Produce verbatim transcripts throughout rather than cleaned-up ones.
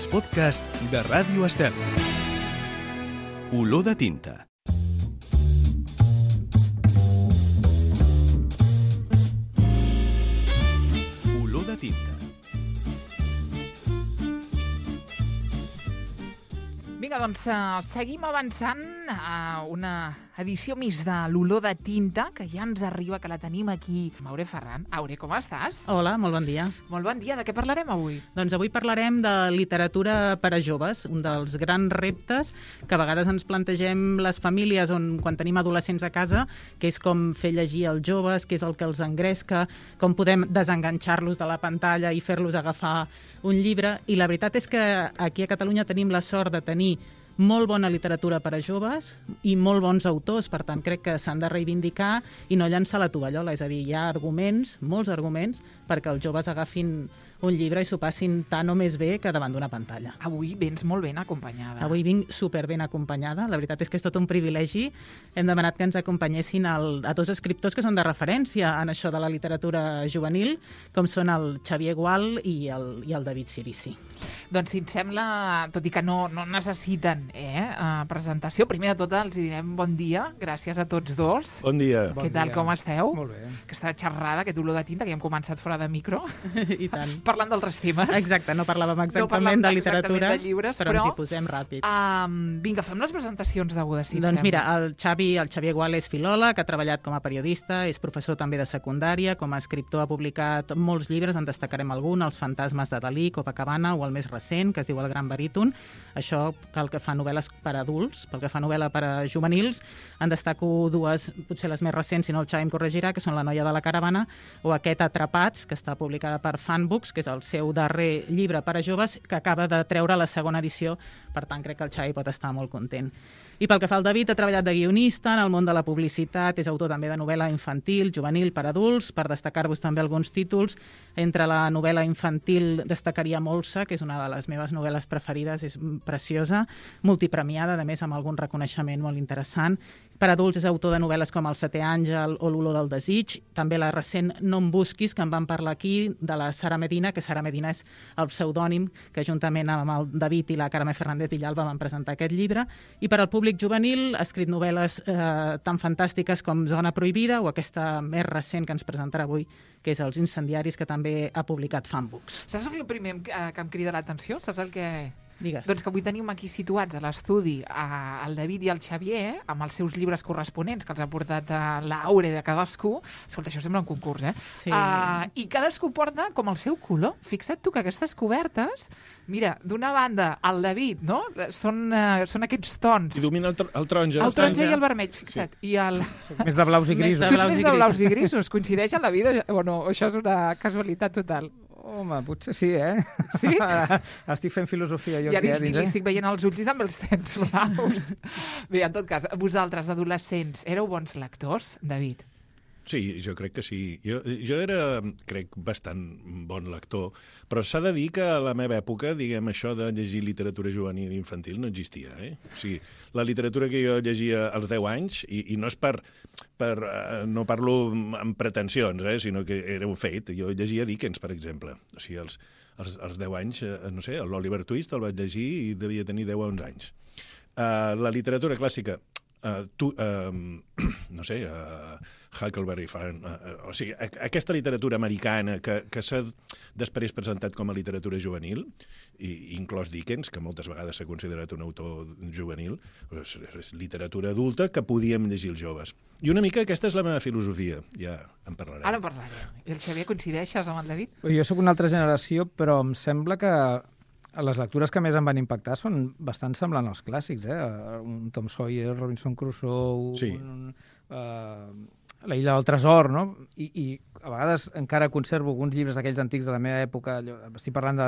els podcasts de Ràdio Estel. Olor de tinta. Olor de tinta. Vinga, doncs uh, seguim avançant a una edició més de l'Olor de Tinta, que ja ens arriba, que la tenim aquí. Aure Ferran. Aure, com estàs? Hola, molt bon dia. Molt bon dia. De què parlarem avui? Doncs avui parlarem de literatura per a joves, un dels grans reptes que a vegades ens plantegem les famílies on, quan tenim adolescents a casa, que és com fer llegir als joves, què és el que els engresca, com podem desenganxar-los de la pantalla i fer-los agafar un llibre. I la veritat és que aquí a Catalunya tenim la sort de tenir molt bona literatura per a joves i molt bons autors, per tant crec que s'han de reivindicar i no llançar la tovallola, és a dir, hi ha arguments, molts arguments, perquè els joves agafin un llibre i s'ho passin tant o més bé que davant d'una pantalla. Avui vens molt ben acompanyada. Avui vinc super ben acompanyada, la veritat és que és tot un privilegi. Hem demanat que ens acompanyessin el, a dos escriptors que són de referència en això de la literatura juvenil, com són el Xavier Gual i el, i el David Cirici. Doncs si et sembla, tot i que no, no necessiten eh, uh, presentació, primer de tot els direm bon dia, gràcies a tots dos. Bon dia. Què tal, com esteu? Molt bé. Aquesta xerrada, aquest olor de tinta, que ja hem començat fora de micro. I tant. Parlant d'altres temes. Exacte, no parlàvem exactament no parlàvem de literatura, de llibres, però, però ens hi posem ràpid. Um, vinga, fem les presentacions degudes, si Doncs sembla. mira, el Xavi, el Xavier Gual és filòleg, ha treballat com a periodista, és professor també de secundària, com a escriptor ha publicat molts llibres, en destacarem algun, Els fantasmes de Dalí, Copacabana, o el més recent, que es diu El gran baríton. Això pel que fa novel·les per a adults, pel que fa novel·la per a juvenils, en destaco dues, potser les més recents, si no el Xavi em corregirà, que són La noia de la caravana o aquest Atrapats, que està publicada per Fanbooks, que és el seu darrer llibre per a joves, que acaba de treure la segona edició, per tant crec que el Xavi pot estar molt content. I pel que fa al David, ha treballat de guionista en el món de la publicitat, és autor també de novel·la infantil, juvenil, per adults, per destacar-vos també alguns títols. Entre la novel·la infantil destacaria Molsa, que és una de les meves novel·les preferides, és preciosa, multipremiada, a més amb algun reconeixement molt interessant. Per adults és autor de novel·les com El setè àngel o L'olor del desig, també la recent No em busquis, que en vam parlar aquí, de la Sara Medina, que Sara Medina és el pseudònim que juntament amb el David i la Carme Fernández Villalba van presentar aquest llibre. I per al públic juvenil ha escrit novel·les eh, tan fantàstiques com Zona prohibida o aquesta més recent que ens presentarà avui, que és Els incendiaris, que també ha publicat Fanbooks. Saps el primer que, que em crida l'atenció? Saps el que... Digues. Doncs que avui tenim aquí situats a l'estudi el David i el Xavier amb els seus llibres corresponents que els ha portat a l'Aure de cadascú. Escolta, això sembla un concurs, eh? Sí. Uh, I cadascú porta com el seu color. Fixa't tu que aquestes cobertes, mira, d'una banda el David, no? Són, uh, són aquests tons. I domina el, tr el taronja. El taronja i el vermell, fixa't. Sí. I el... Més de blaus i grisos. Tu ets més de blaus i grisos. Coincideix en la vida o no? Això és una casualitat total. Home, potser sí, eh? Sí? Estic fent filosofia jo ja aquí, li, eh? li, li estic veient els ulls i també els tens blaus. Bé, en tot cas, vosaltres, adolescents, éreu bons lectors, David? Sí, jo crec que sí. Jo, jo era, crec, bastant bon lector, però s'ha de dir que a la meva època, diguem, això de llegir literatura juvenil i infantil no existia, eh? O sigui, la literatura que jo llegia als deu anys, i, i no és per... per uh, no parlo amb pretensions, eh? Sinó que era un fet. Jo llegia Dickens, per exemple. O sigui, als, als, als deu anys, eh, no sé, l'Oliver Twist el vaig llegir i devia tenir deu a onze anys. Uh, la literatura clàssica, uh, tu, uh, no sé... Uh, Huckleberry Finn, uh, o sigui, a, aquesta literatura americana que, que s'ha després presentat com a literatura juvenil, i inclòs Dickens, que moltes vegades s'ha considerat un autor juvenil, és, és literatura adulta que podíem llegir els joves. I una mica aquesta és la meva filosofia, ja en parlarem. Ara en parlarem. I el Xavier, coincideixes amb el David? Jo sóc una altra generació, però em sembla que les lectures que més em van impactar són bastant semblants als clàssics, eh? Un Tom Sawyer, Robinson Crusoe, sí. un... Uh, La illa del tresor, no? I, i a vegades encara conservo alguns llibres d'aquells antics de la meva època, allò, estic parlant de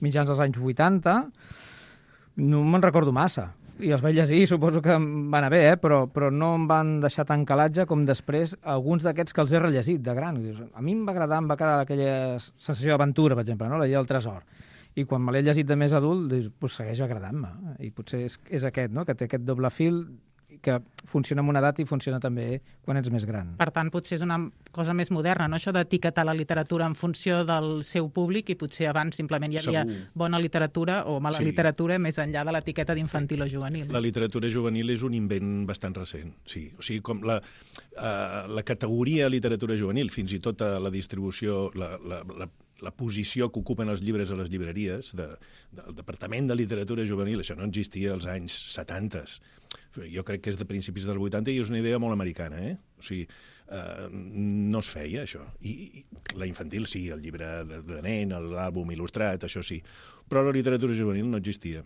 mitjans dels anys vuitanta, no me'n recordo massa. I els vaig llegir, suposo que em van anar bé, eh? però, però no em van deixar tan calatge com després alguns d'aquests que els he rellegit de gran. A mi em va agradar, em va quedar aquella sensació d'aventura, per exemple, no? La illa del tresor. I quan me l'he llegit de més adult, doncs, pues, segueix agradant-me. I potser és, és aquest, no? Que té aquest doble fil que funciona en una edat i funciona també quan ets més gran. Per tant, potser és una cosa més moderna, no? Això d'etiquetar la literatura en funció del seu públic, i potser abans simplement hi havia Segur. bona literatura o mala Sí. literatura més enllà de l'etiqueta d'infantil o juvenil. La literatura juvenil és un invent bastant recent, sí. O sigui, com la, uh, la categoria literatura juvenil, fins i tot a la distribució, la, la, la, la posició que ocupen els llibres a les llibreries de, del Departament de Literatura Juvenil, això no existia als anys setanta. Jo crec que és de principis dels vuitanta i és una idea molt americana, eh? O sigui, uh, no es feia, això. I, i la infantil sí, el llibre de, de nen, l'àlbum il·lustrat, això sí. Però la literatura juvenil no existia.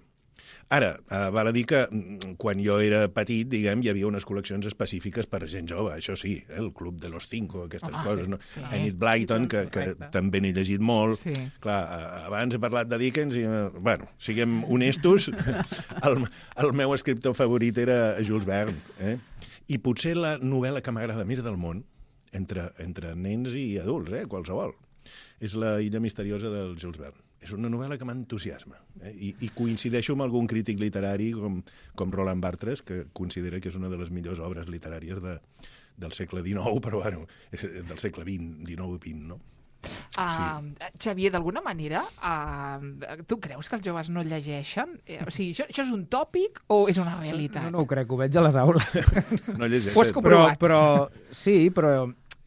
Ara, uh, val a dir que quan jo era petit, diguem, hi havia unes col·leccions específiques per a gent jove, això sí, eh? El Club de los Cinco, aquestes Home, coses, no? sí. Enid Blyton, que, que Correcte. també n'he llegit molt. Sí. Clar, uh, abans he parlat de Dickens i, uh, bueno, siguem honestos, el, el meu escriptor favorit era Jules Verne, eh? I potser la novel·la que m'agrada més del món, entre, entre nens i adults, eh? Qualsevol, és La illa misteriosa del Jules Verne. És una novel·la que m'entusiasma. Eh? I, I coincideixo amb algun crític literari com, com Roland Barthes, que considera que és una de les millors obres literàries de, del segle dinou, però bueno, és del segle vint, dinou i vint, no? Uh, Xavier, d'alguna manera, uh, tu creus que els joves no llegeixen? Eh, O sigui, això, això és un tòpic o és una realitat? No, no ho crec, ho veig a les aules. No llegeixen. Ho has però, comprovat. però, sí, però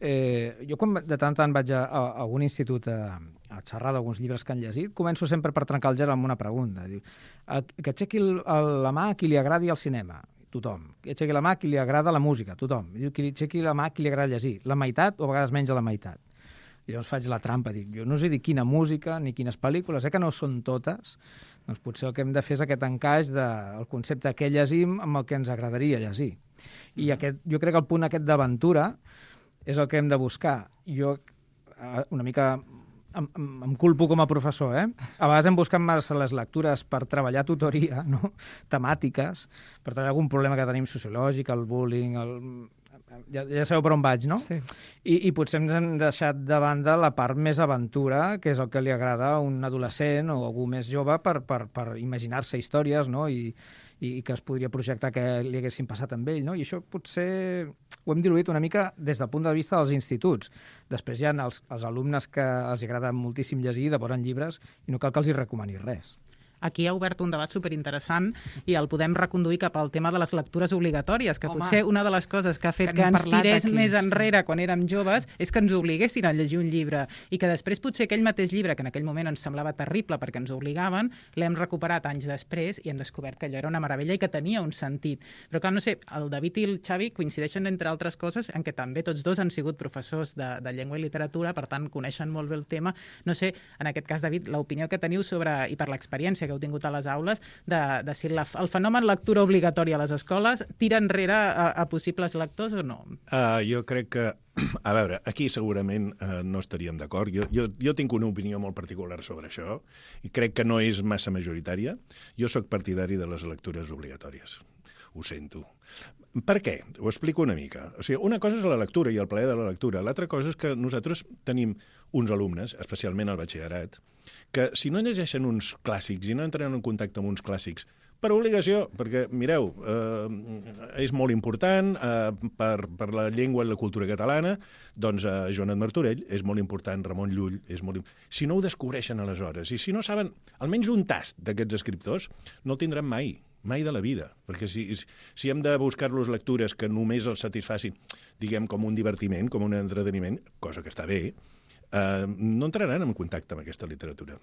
eh, jo quan de tant en tant vaig a, a, a algun institut a, a xerrar d'alguns llibres que han llegit, començo sempre per trencar el gel amb una pregunta. Diu, a, que aixequi el, el, la mà a qui li agradi el cinema. Tothom. Que aixequi la mà a qui li agrada la música. Tothom. Diu, que li aixequi la mà a qui li agrada llegir. La meitat o a vegades menys de la meitat. I llavors faig la trampa, dic, jo no us he dit quina música ni quines pel·lícules, eh, que no són totes, doncs potser el que hem de fer és aquest encaix del concepte que llegim amb el que ens agradaria llegir. I aquest, jo crec que el punt aquest d'aventura és el que hem de buscar. Jo una mica em, em, em culpo com a professor, eh? A vegades hem buscat massa les lectures per treballar tutoria, no? Temàtiques, per treballar algun problema que tenim sociològic, el bullying, el... Ja, ja sabeu per on vaig, no? Sí. I, I potser ens hem deixat de banda la part més aventura, que és el que li agrada a un adolescent o algú més jove per, per, per imaginar-se històries, no? I, i que es podria projectar que li haguessin passat amb ell, no? I això potser ho hem diluït una mica des del punt de vista dels instituts. Després hi ha els, els alumnes que els agrada moltíssim llegir, devoren llibres, i no cal que els hi recomani res. Aquí ha obert un debat superinteressant i el podem reconduir cap al tema de les lectures obligatòries, que Home, potser una de les coses que ha fet que que, n'hem ens parlat tirés aquí, més sí. enrere quan érem joves és que ens obliguessin a llegir un llibre i que després potser aquell mateix llibre, que en aquell moment ens semblava terrible perquè ens obligaven, l'hem recuperat anys després i hem descobert que allò era una meravella i que tenia un sentit. Però clar, no sé, el David i el Xavi coincideixen entre altres coses en què també tots dos han sigut professors de, de llengua i literatura, per tant coneixen molt bé el tema. No sé, en aquest cas, David, l'opinió que teniu sobre, i per l'experiència que heu tingut a les aules, De, de si la, el fenomen lectura obligatòria a les escoles tira enrere a, a possibles lectors o no? Uh, jo crec que, a veure, aquí segurament uh, no estaríem d'acord. Jo, jo, jo tinc una opinió molt particular sobre això i crec que no és massa majoritària. Jo sóc partidari de les lectures obligatòries. Ho sento. Per què? Ho explico una mica. O sigui, una cosa és la lectura i el plaer de la lectura. L'altra cosa és que nosaltres tenim uns alumnes, especialment al batxillerat, que si no llegeixen uns clàssics i no entren en contacte amb uns clàssics, per obligació, perquè, mireu, eh, és molt important eh, per, per la llengua i la cultura catalana, doncs eh, Joanot Martorell és molt important, Ramon Llull és molt important. Si no ho descobreixen aleshores, i si no saben almenys un tast d'aquests escriptors, no el tindran mai, mai de la vida, perquè si, si hem de buscar-los lectures que només els satisfacin, diguem, com un divertiment, com un entreteniment, cosa que està bé, eh, no entraran en contacte amb aquesta literatura.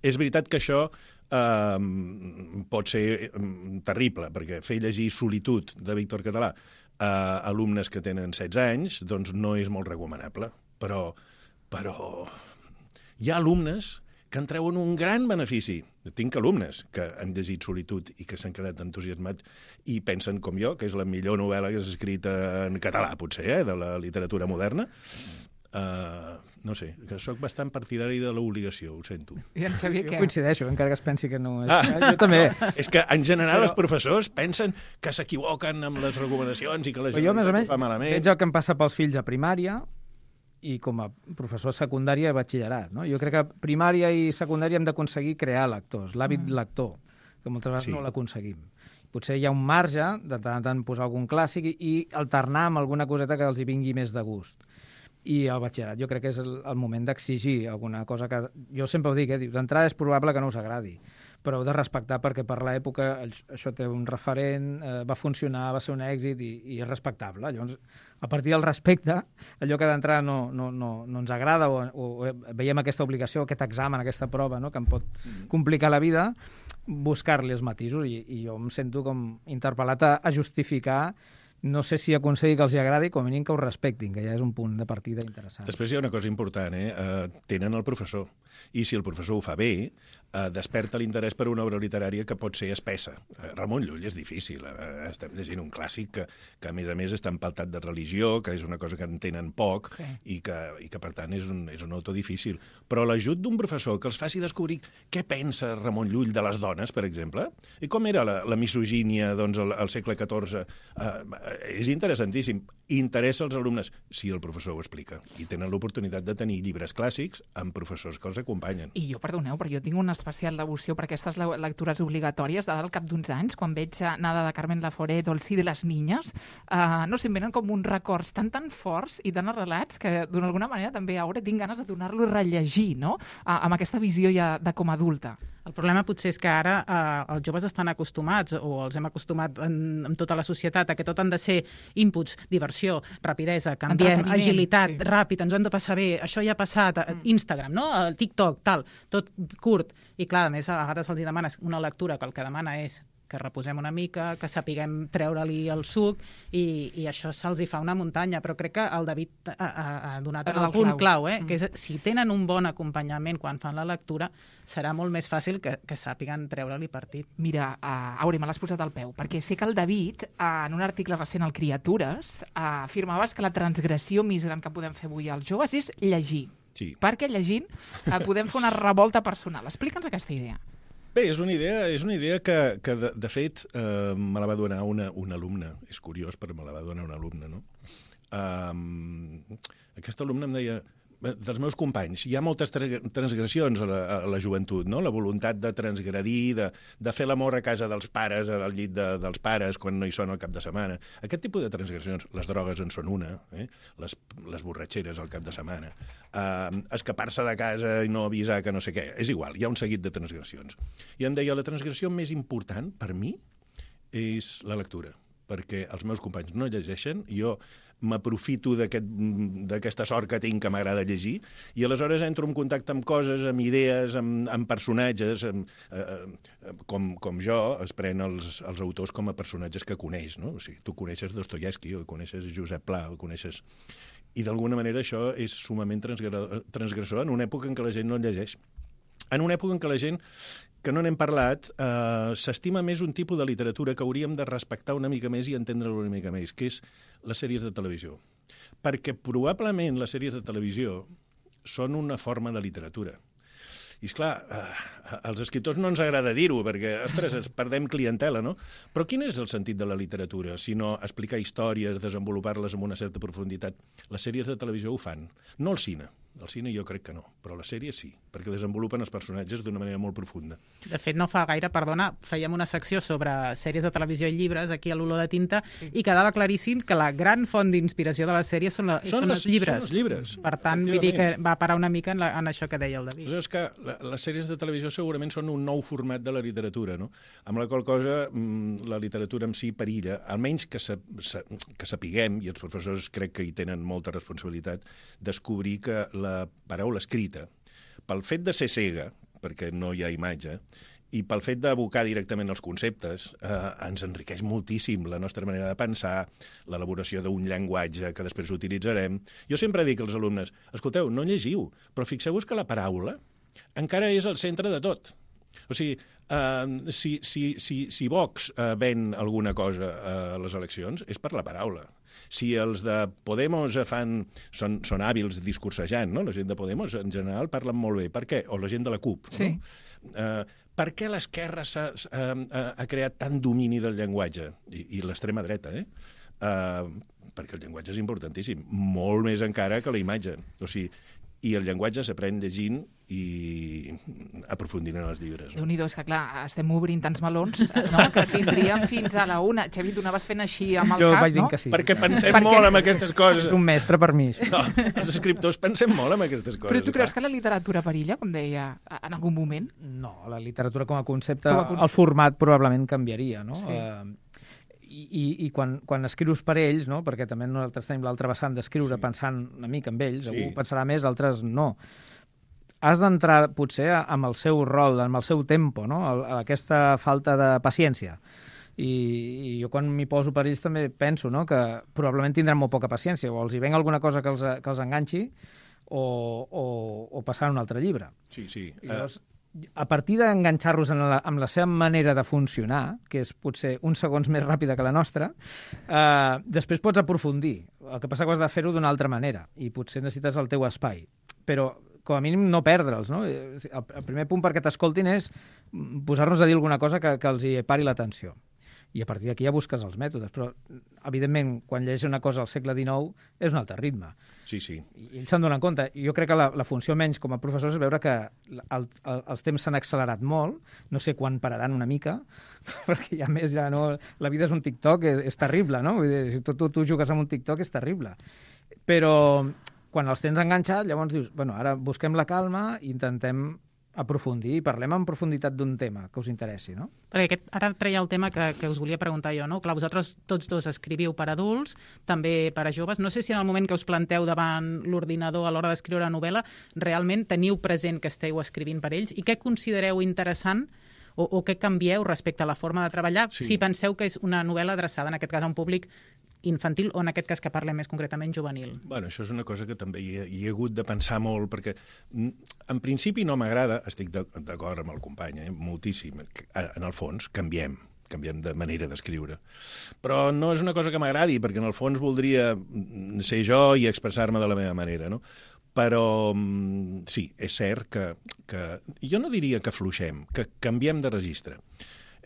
És veritat que això eh, pot ser eh, terrible, perquè fer llegir Solitud de Víctor Català a alumnes que tenen setze anys doncs no és molt recomanable. Però, però hi ha alumnes que en treuen un gran benefici. Tinc alumnes que han llegit Solitud i que s'han quedat entusiasmats i pensen com jo, que és la millor novel·la que s'ha escrit en català, potser, eh, de la literatura moderna. Uh, no sé, que sóc bastant partidari de l'obligació, ho sento. I en Xavier, Jo què? coincideixo, encara que es pensi que no és... Ah. Jo també. És que, en general, Però- els professors pensen que s'equivoquen amb les recomanacions i que la Però jo, més o Generalitat menys, ho fa malament. veig el que em passa pels fills a primària i com a professor de secundària i batxillerat. No? Jo crec que primària i secundària hem d'aconseguir crear lectors, l'hàbit mm. lector, que moltes vegades Sí. no l'aconseguim. potser hi ha un marge de tant en tant posar algun clàssic i, i alternar amb alguna coseta que els hi vingui més de gust. I el batxillerat jo crec que és el, el moment d'exigir alguna cosa que... Jo sempre ho dic, eh? D'entrada és probable que no us agradi, però heu de respectar perquè per l'època això té un referent, eh, va funcionar, va ser un èxit i, i és respectable. Llavors, a partir del respecte, allò que d'entrada no, no, no, no ens agrada o, o, o veiem aquesta obligació, aquest examen, aquesta prova, no?, que em pot complicar la vida, buscar-li els matisos i, i jo em sento com interpel·lat a, a justificar. No sé si aconseguir que els agradi, com a mínim que ho respectin, que ja és un punt de partida interessant. Després hi ha una cosa important, eh? Uh, tenen el professor. I si el professor ho fa bé, uh, desperta l'interès per una obra literària que pot ser espessa. Uh, Ramon Llull és difícil. Uh, estem llegint un clàssic que, que, a més a més, està empaltat de religió, que és una cosa que entenen poc, sí. i, que, i que, per tant, és un, és un autor difícil. Però l'ajut d'un professor que els faci descobrir què pensa Ramon Llull de les dones, per exemple, i com era la, la misogínia doncs, al, al segle catorze, uh, és interessantíssim. Interessa als alumnes si el professor ho explica. I tenen l'oportunitat de tenir llibres clàssics amb professors que els acompanyen. I jo, perdoneu, però jo tinc una especial devoció per aquestes lectures obligatòries de al cap d'uns anys, quan veig Nada de Carmen Laforet o El sí de les niñas, uh, no sé, em venen com uns records tan tan forts i tan arrelats que d'alguna manera també ara tinc ganes de tornar-lo a rellegir, no?, uh, amb aquesta visió ja de com a adulta. El problema potser és que ara eh, els joves estan acostumats, o els hem acostumat en, en tota la societat, a que tot han de ser inputs, diversió, rapidesa, canviem, agilitat, sí. ràpid, ens ho hem de passar bé, això ja ha passat, mm. Instagram, no? El TikTok, tal, tot curt. I clar, a més, a vegades els demanes una lectura que el que demana és que reposem una mica, que sapiguem treure-li el suc, i, i això se'ls hi fa una muntanya. Però crec que el David ha, ha, ha donat el, el punt clau, clau eh? mm. que és, si tenen un bon acompanyament quan fan la lectura, serà molt més fàcil que, que sàpiguen treure-li partit. Mira, uh, Auri, me l'has posat al peu, perquè sé que el David, uh, en un article recent al Criatures, uh, afirmaves que la transgressió més gran que podem fer avui als joves és llegir. Sí. Perquè llegint uh, podem fer una revolta personal. Explica'ns aquesta idea. Bé, és una idea, és una idea que, que de, de fet, eh, me la va donar una, una alumna. És curiós, però me la va donar una alumna, no? Um, aquesta alumna em deia, dels meus companys, hi ha moltes transgressions a la, a la joventut, no? La voluntat de transgredir, de, de fer l'amor a casa dels pares, al llit de, dels pares, quan no hi són al cap de setmana. Aquest tipus de transgressions, les drogues en són una, eh? les, les borratxeres al cap de setmana, uh, escapar-se de casa i no avisar que no sé què, és igual, hi ha un seguit de transgressions. I em deia, la transgressió més important per mi és la lectura, perquè els meus companys no llegeixen, jo m'aprofito d'aquesta sort que tinc que m'agrada llegir, i aleshores entro en contacte amb coses, amb idees, amb, amb personatges, amb, eh, com, com jo es pren els, els autors com a personatges que coneix, no? O sigui, tu coneixes Dostoievski, o coneixes Josep Pla, o coneixes... I d'alguna manera això és sumament transgressor en una època en què la gent no llegeix. En una època en què la gent, que no n'hem parlat, eh, s'estima més un tipus de literatura que hauríem de respectar una mica més i entendre-lo una mica més, que és les sèries de televisió. Perquè probablement les sèries de televisió són una forma de literatura. I, esclar, eh, als escriptors no ens agrada dir-ho, perquè, ostres, ens perdem clientela, no? Però quin és el sentit de la literatura, si no explicar històries, desenvolupar-les amb una certa profunditat? Les sèries de televisió ho fan, no el cine. El cine jo crec que no, però les sèries sí, perquè desenvolupen els personatges d'una manera molt profunda. De fet, no fa gaire, perdona, fèiem una secció sobre sèries de televisió i llibres aquí a l'Olor de Tinta, sí. i quedava claríssim que la gran font d'inspiració de les sèries són, la, són, són les, els llibres. Són els llibres. Per tant, vull dir que va parar una mica en, la, en això que deia el David. És que la, les sèries de televisió segurament són un nou format de la literatura, no? Amb la qual cosa la literatura en si perilla, almenys que, sa, sa, que sapiguem, i els professors crec que hi tenen molta responsabilitat, descobrir que la paraula escrita, pel fet de ser cega, perquè no hi ha imatge, i pel fet d'abocar directament els conceptes, eh, ens enriqueix moltíssim la nostra manera de pensar, l'elaboració d'un llenguatge que després utilitzarem. Jo sempre dic als alumnes, escolteu, no llegiu, però fixeu-vos que la paraula encara és el centre de tot. O sigui, eh, si, si, si, si Vox eh, ven alguna cosa a les eleccions, és per la paraula. Si els de Podemos fan, són, són hàbils discursejant, no? La gent de Podemos en general parlen molt bé. Per què? O la gent de la CUP. Sí. No? Eh, per què l'esquerra s'ha, ha, ha creat tant domini del llenguatge? I, i l'extrema dreta, eh? eh? Perquè el llenguatge és importantíssim, molt més encara que la imatge. O sigui, i el llenguatge s'aprèn llegint i aprofundint en els llibres. No? Déu-n'hi-do, és que clar, estem obrint tants melons, no?, que tindríem fins a la una. Xavi, tu anaves fent així amb el jo cap, vaig dir no? que sí. Perquè pensem Perquè- molt en aquestes coses. És un mestre per mi. No, els escriptors pensem molt en aquestes coses. Però tu creus clar. que la literatura perilla, com deia, en algun moment? No, la literatura com a concepte, Com a concepte. el format probablement canviaria, no? Sí. Eh, I i, i quan, quan escrius per ells, no? Perquè també nosaltres tenim l'altra vessant d'escriure Sí. pensant una mica en ells, Sí. algú pensarà més, altres no. Has d'entrar, potser, amb el seu rol, amb el seu tempo, no? El, aquesta falta de paciència. I, i jo quan m'hi poso per ells també penso, no?, que probablement tindran molt poca paciència, o els hi ven alguna cosa que els, que els enganxi, o, o, o passar a un altre llibre. Sí, sí. I llavors, a partir d'enganxar-los en la, amb la seva manera de funcionar, que és potser uns segons més ràpida que la nostra, eh, després pots aprofundir. El que passa que has de fer-ho d'una altra manera, i potser necessites el teu espai. Però, com a mínim, no perdre'ls, no? El, el primer punt perquè t'escoltin és posar-nos a dir alguna cosa que, que els hi pari l'atenció. I a partir d'aquí ja busques els mètodes. Però, evidentment, quan llegeix una cosa al segle dinou, és un altre ritme. Sí, sí. I ells se'n donen compte. I jo crec que la, la funció menys com a professors és veure que el, el, els temps s'han accelerat molt, no sé quan pararan una mica, perquè ja més ja no... La vida és un TikTok, és, és terrible, no? Vull dir, si tu, tu, tu jugues amb un TikTok és terrible. Però quan els tens enganxat, llavors dius, bueno, ara busquem la calma i intentem aprofundir i parlem en profunditat d'un tema que us interessi, no? Perquè aquest, ara treia el tema que, que us volia preguntar jo, no? Clar, vosaltres tots dos escriviu per adults, també per a joves. No sé si en el moment que us planteu davant l'ordinador a l'hora d'escriure una novel·la realment teniu present que esteu escrivint per ells i què considereu interessant o, o què canvieu respecte a la forma de treballar Sí. si penseu que és una novel·la adreçada, en aquest cas, a un públic infantil o en aquest cas que parlem més concretament juvenil. Bueno, això és una cosa que també hi he, hi he hagut de pensar molt, perquè mm, en principi no m'agrada, estic de- d'acord amb el company, eh, moltíssim, que, a- en el fons canviem, canviem de manera d'escriure. Però no és una cosa que m'agradi, perquè en el fons voldria mm, ser jo i expressar-me de la meva manera, no? Però mm, sí, és cert que, que... Jo no diria que fluixem, que canviem de registre.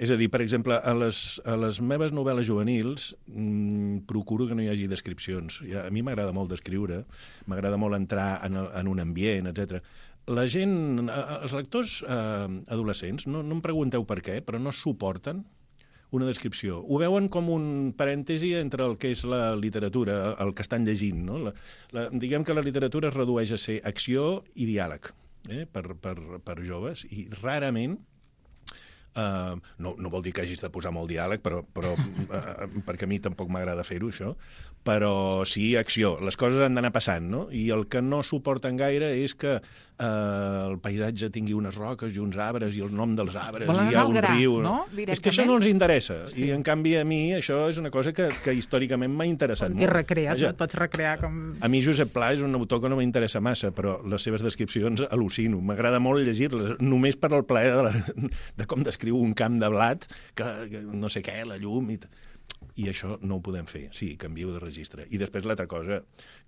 És a dir, per exemple, a les, a les meves novel·les juvenils mmm, procuro que no hi hagi descripcions. Ja, a mi m'agrada molt descriure, m'agrada molt entrar en, el, en un ambient, etcètera. La gent, eh, els lectors eh, adolescents, no, no em pregunteu per què, però no suporten una descripció. Ho veuen com un parèntesi entre el que és la literatura, el que estan llegint. No? La, la, diguem que la literatura es redueix a ser acció i diàleg, eh? per, per, per joves, i rarament Uh, no, no vol dir que hagis de posar molt diàleg, però, però uh, perquè a mi tampoc m'agrada fer-ho, això. Però sí, acció. Les coses han d'anar passant, no? I el que no suporten gaire és que uh, el paisatge tingui unes roques i uns arbres i el nom dels arbres Volen i hi ha anar al un gra, riu. no? És que això no els interessa. Sí. I, en canvi, a mi això és una cosa que, que històricament m'ha interessat Com molt. que recrees, Vaja, no? Et pots recrear com... a mi Josep Pla és un autor que no m'interessa massa, però les seves descripcions al·lucino. M'agrada molt llegir-les, només per al plaer de, la, de com descriu un camp de blat, que, que no sé què, la llum... I, I això no ho podem fer. Sí, canvio de registre. I després l'altra cosa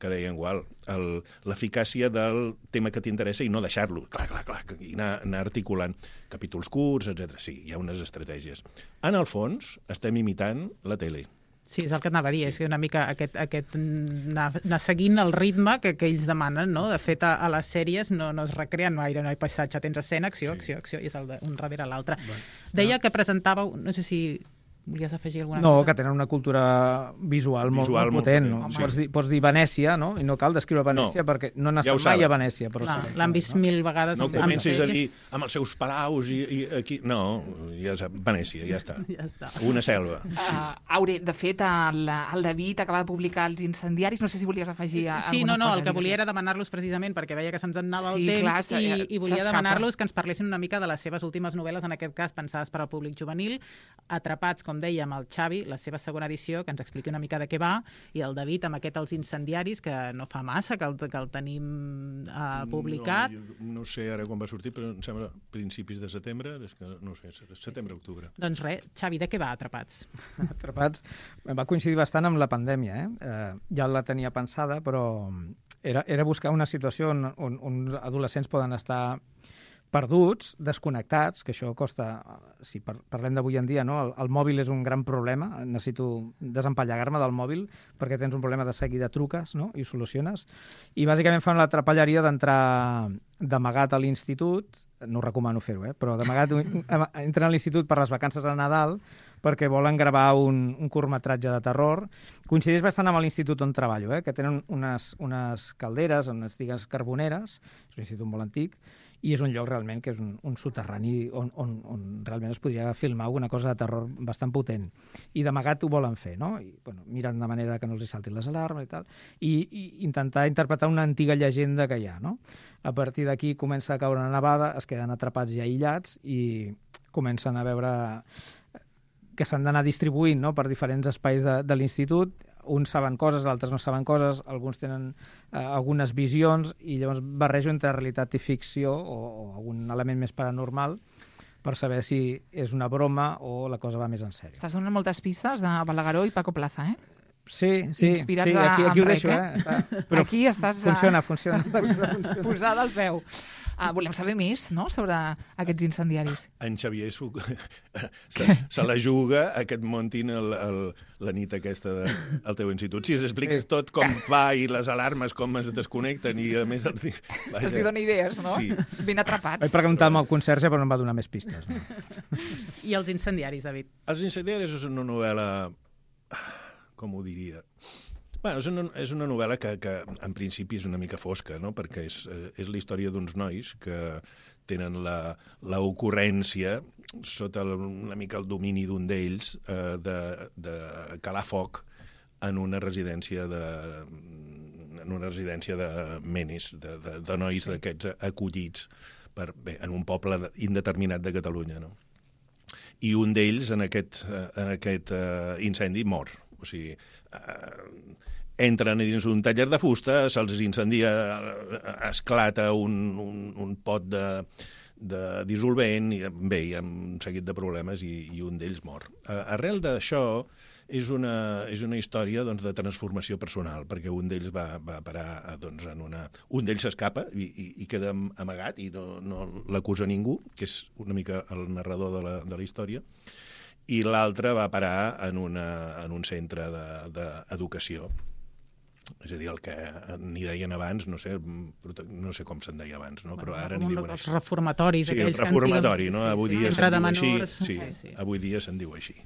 que deia en Gual, el- l'eficàcia del tema que t'interessa i no deixar-lo, clar, clar, clar, i anar, anar articulant capítols curts, etcètera. Sí, hi ha unes estratègies. En el fons, estem imitant la tele. Sí, és el que anava a dir, és una mica aquest, aquest anar, anar seguint el ritme que, que ells demanen, no? De fet, a, a les sèries no, no es recreen gaire, no hi ha passatge, tens escena, acció, acció, acció, i és el de, un darrere l'altre. Deia que presentàveu, no sé si volies afegir alguna No, cosa? que tenen una cultura visual, molt, Visual molt molt potent. potent, No? sí. Pots, dir, pots dir Venècia, no? I no cal descriure Venècia No, perquè no n'has ja ho estat mai saben. a Venècia. Però Clar, sí, l'han vist no? mil vegades. No amb comencis a sèries. dir amb els seus palaus i, i aquí... No, ja sap, Venècia, ja està. Ja està. Una selva. Uh, Aure, de fet, el, el David acaba de publicar Els incendiaris. No sé si volies afegir a- Sí, no, alguna no, cosa. el que digues. volia era demanar-los precisament, perquè veia que se'ns en anava Sí, el temps, clar, se- i, i volia s'escapa. demanar-los que ens parlessin una mica de les seves últimes novel·les, en aquest cas pensades per al públic juvenil, Atrapats, com deia, amb el Xavi, la seva segona edició, que ens expliqui una mica de què va, i el David amb aquest Els incendiaris, que no fa massa, que el, que el tenim uh, publicat. No, jo no sé ara quan va sortir, però em sembla principis de setembre, és que no sé, setembre-octubre. Doncs res, Xavi, de què va Atrapats? Atrapats va coincidir bastant amb la pandèmia. Eh? Eh, ja la tenia pensada, però era, era buscar una situació on, on uns adolescents poden estar perduts, desconnectats, que això costa, si par parlem d'avui en dia, no? el, el mòbil és un gran problema, necessito desempallegar-me del mòbil perquè tens un problema de seguida truques, no? I ho soluciones. I bàsicament fan la trapelleria d'entrar d'amagat a l'institut, no recomano fer-ho, eh? Però d'amagat entren a l'institut per les vacances de Nadal perquè volen gravar un, un curtmetratge de terror. Coincideix bastant amb l'institut on treballo, eh? Que tenen unes, unes calderes, unes digues carboneres, és un institut molt antic, i és un lloc realment que és un, un soterrani on, on, on realment es podria filmar alguna cosa de terror bastant potent. I d'amagat ho volen fer, no? I, bueno, miren de manera que no els saltin les alarmes i tal, i, i intentar interpretar una antiga llegenda que hi ha, no? A partir d'aquí comença a caure una nevada, es queden atrapats i aïllats i comencen a veure que s'han d'anar distribuint, no?, per diferents espais de, de l'institut. Uns saben coses, altres no saben coses, alguns tenen eh, algunes visions, i llavors barrejo entre realitat i ficció o, o algun element més paranormal per saber si és una broma o la cosa va més en sèrio. Estàs donant moltes pistes de Balagueró i Paco Plaza, eh? Sí, sí, Inspirats sí, aquí, aquí a, ho deixo, rec, eh? Està, però aquí estàs... Funciona, funciona. Posada al peu. Uh, volem saber més, no?, sobre aquests incendiaris. En Xavier se, se, se la juga a que et muntin el, el, la nit aquesta de, al teu institut. Si es expliques tot com va i les alarmes com es desconnecten i a més... Els, vaja, els hi dona idees, no? Sí. Ben atrapats. Vaig preguntar amb el conserge però no em va donar més pistes. No? I els incendiaris, David? Els incendiaris és una novel·la... com ho diria... Bueno, és una, és una novel·la que, que en principi és una mica fosca, no?, perquè és, és la història d'uns nois que tenen l'ocurrència, sota el, una mica el domini d'un d'ells, eh, de, de calar foc en una residència de, en una residència de menis, de, de, de nois sí. d'aquests acollits per, bé, en un poble indeterminat de Catalunya, no? I un d'ells, en aquest, en aquest uh, incendi, mor. O sigui, uh, entren dins un taller de fusta, se'ls incendia, esclata un, un, un pot de, de dissolvent, i bé, hi ha un seguit de problemes i, i un d'ells mor. Uh, arrel d'això és una, és una història doncs, de transformació personal, perquè un d'ells va, va parar doncs, en una... Un d'ells s'escapa i, i, i queda amagat i no, no l'acusa ningú, que és una mica el narrador de la, de la història, i l'altre va parar en, una, en un centre d'educació. És a dir, el que n'hi deien abans, no sé, no sé com se'n deia abans, no? Bueno, però ara n'hi diuen els així. Els reformatoris, sí, aquells el reformatori, que no? sí, Avui sí, dia sí. se'n de diu menors, així. Sí, sí, sí. Avui dia se'n diu així.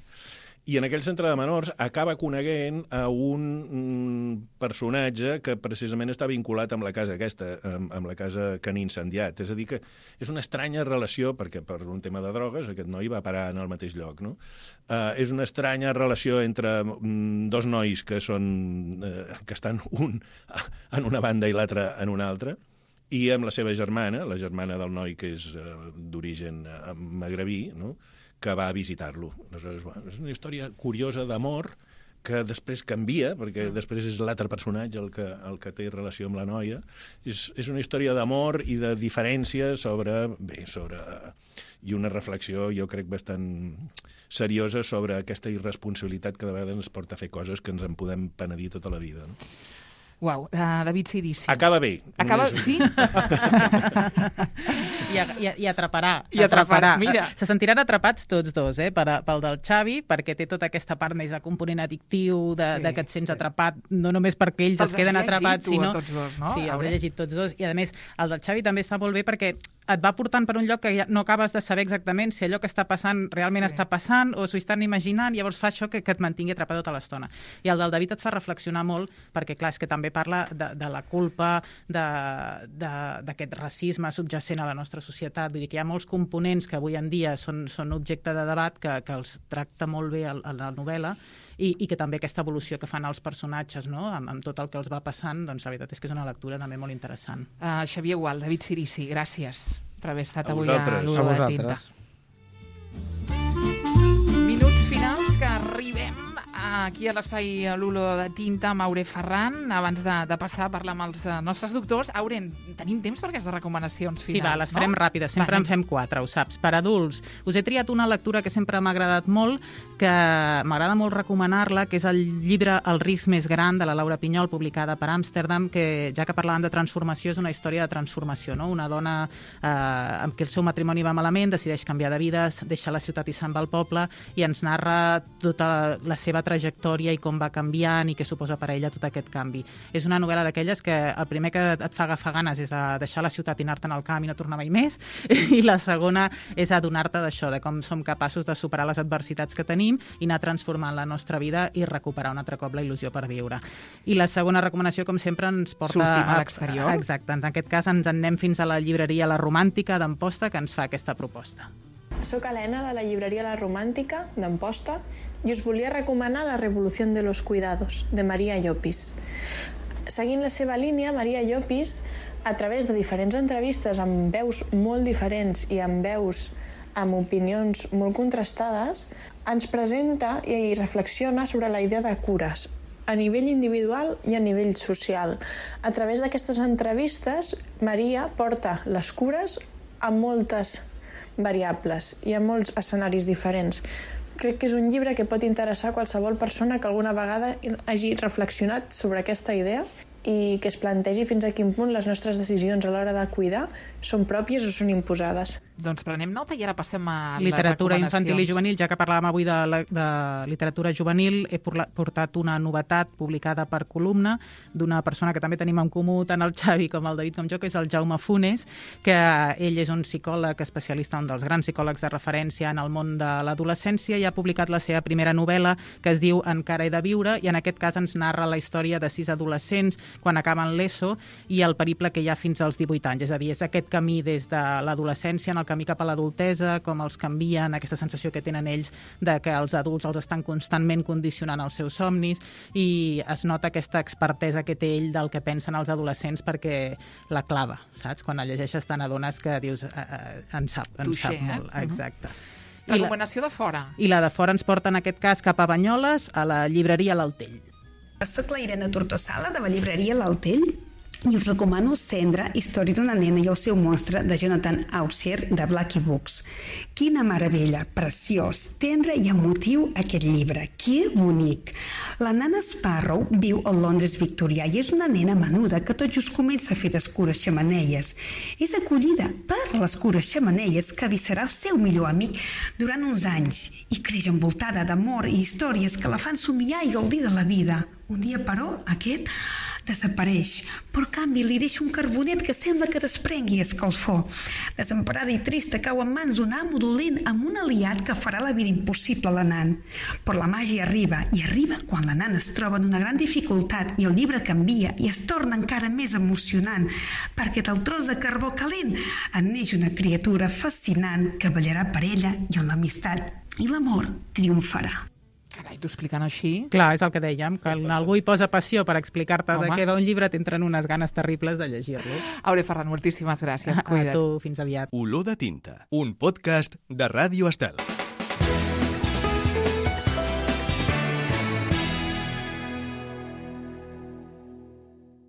I en aquell centre de menors acaba coneguent a un personatge que precisament està vinculat amb la casa aquesta, amb, amb la casa que han incendiat. És a dir, que és una estranya relació, perquè per un tema de drogues aquest noi va parar en el mateix lloc, no? Uh, és una estranya relació entre um, dos nois que, són, uh, que estan un en una banda i l'altre en una altra, i amb la seva germana, la germana del noi que és uh, d'origen uh, magrebí, no?, que va a visitar-lo. Aleshores, bueno, és una història curiosa d'amor que després canvia, perquè després és l'altre personatge el que, el que té relació amb la noia. És, és una història d'amor i de diferències sobre, bé, sobre... i una reflexió, jo crec, bastant seriosa sobre aquesta irresponsabilitat que de vegades ens porta a fer coses que ens en podem penedir tota la vida, no? Uau, uh, David Cirici. Acaba bé. Acaba, només... sí? I, i, I atraparà. I atraparà, mira. Se sentiran atrapats tots dos, eh? Per, pel del Xavi, perquè té tota aquesta part més de component addictiu, de, sí, de que et sents sí. atrapat, no només perquè ells els es queden atrapats, sinó... tots dos, no? Sí, els he llegit tots dos. I, a més, el del Xavi també està molt bé perquè et va portant per un lloc que ja no acabes de saber exactament si allò que està passant realment sí. està passant o s'ho estan imaginant, i llavors fa això que, que et mantingui atrapat tota l'estona. I el del David et fa reflexionar molt, perquè, clar, és que també parla de, de la culpa, d'aquest racisme subjacent a la nostra societat. Vull dir que hi ha molts components que avui en dia són, són objecte de debat, que, que els tracta molt bé a la novel·la, i, i que també aquesta evolució que fan els personatges, no?, amb, amb tot el que els va passant, doncs la veritat és que és una lectura també molt interessant. Uh, Xavier Gual, David Cirici, gràcies per haver estat a avui vosaltres. a l'U de Tinta. Minuts finals que arribem a aquí a l'espai l'Olor de Tinta amb Aure Ferran, abans de, de passar a parlar amb els uh, nostres doctors. Aure, tenim temps per aquestes recomanacions finals, sí, va, les no? farem ràpides, sempre va, en fem quatre, ho saps. Per adults, us he triat una lectura que sempre m'ha agradat molt, que m'agrada molt recomanar-la, que és el llibre El risc més gran, de la Laura Pinyol, publicada per Amsterdam, que ja que parlàvem de transformació, és una història de transformació, no? Una dona eh, amb qui el seu matrimoni va malament, decideix canviar de vida, deixa la ciutat i se'n va al poble, i ens narra tota la, la seva trajectòria i com va canviant i què suposa per a ella tot aquest canvi. És una novel·la d'aquelles que el primer que et fa agafar ganes és de deixar la ciutat i anar-te'n al camp i no tornar mai més, i la segona és adonar-te d'això, de com som capaços de superar les adversitats que tenim i anar transformant la nostra vida i recuperar un altre cop la il·lusió per viure. I la segona recomanació, com sempre, ens porta... Sortim a l'exterior. Exacte, en aquest cas ens en anem fins a la llibreria La Romàntica d'Amposta, que ens fa aquesta proposta. Soc Helena, de la llibreria La Romàntica, d'Amposta, i us volia recomanar La revolució de los cuidados, de Maria Llopis. Seguint la seva línia, Maria Llopis, a través de diferents entrevistes amb veus molt diferents i amb veus amb opinions molt contrastades, ens presenta i reflexiona sobre la idea de cures, a nivell individual i a nivell social. A través d'aquestes entrevistes, Maria porta les cures a moltes variables i a molts escenaris diferents. Crec que és un llibre que pot interessar a qualsevol persona que alguna vegada hagi reflexionat sobre aquesta idea i que es plantegi fins a quin punt les nostres decisions a l'hora de cuidar són pròpies o són imposades. Doncs prenem nota i ara passem a literatura les infantil i juvenil. Ja que parlàvem avui de, la, de literatura juvenil, he portat una novetat publicada per Columna d'una persona que també tenim en comú tant el Xavi com el David com jo, que és el Jaume Funes, que ell és un psicòleg especialista, un dels grans psicòlegs de referència en el món de l'adolescència, i ha publicat la seva primera novel·la, que es diu Encara he de viure, i en aquest cas ens narra la història de sis adolescents quan acaben l'ESO i el periple que hi ha fins als divuit anys. És a dir, és aquest camí des de l'adolescència en el camí cap a l'adultesa, com els canvien, aquesta sensació que tenen ells de que els adults els estan constantment condicionant els seus somnis, i es nota aquesta expertesa que té ell del que pensen els adolescents perquè la clava, saps? Quan la llegeixes te n'adones que dius, eh, eh, en sap, en Touché, sap molt. eh? Exacte. Recomanació de fora. I la de fora ens porta en aquest cas cap a Banyoles, a la llibreria L'Altell. Soc la Irene Tortosala, de la llibreria L'Altell, i us recomano Cendra, història d'una nena i el seu monstre, de Jonathan Ausier, de Blackie Books. Quina meravella, preciós, tendre i emotiu aquest llibre. Que bonic! La nana Sparrow viu al Londres victorià i és una nena menuda que tot just comença a fer d'escures xemeneies. És acollida per l'escures xemeneies que vi serà el seu millor amic durant uns anys i creix envoltada d'amor i històries que la fan somiar i gaudir de la vida. Un dia, però, aquest desapareix, però en canvi li deixa un carbonet que sembla que desprengui escalfor. Desemparada i trista, cau en mans d'un amo dolent amb un aliat que farà la vida impossible a la nan. Però la màgia arriba, i arriba quan la nana es troba en una gran dificultat i el llibre canvia i es torna encara més emocionant, perquè del tros de carbó calent en neix una criatura fascinant que ballarà per ella i on l'amistat i l'amor triomfarà. Carai, t'ho explicant així... Clar, és el que dèiem, que algú hi posa passió per explicar-te de Home. què va un llibre, t'entren unes ganes terribles de llegir-lo. Aure Ferran, moltíssimes gràcies. A Cuida't. tu, fins aviat. Olor de tinta, un podcast de Ràdio Estel.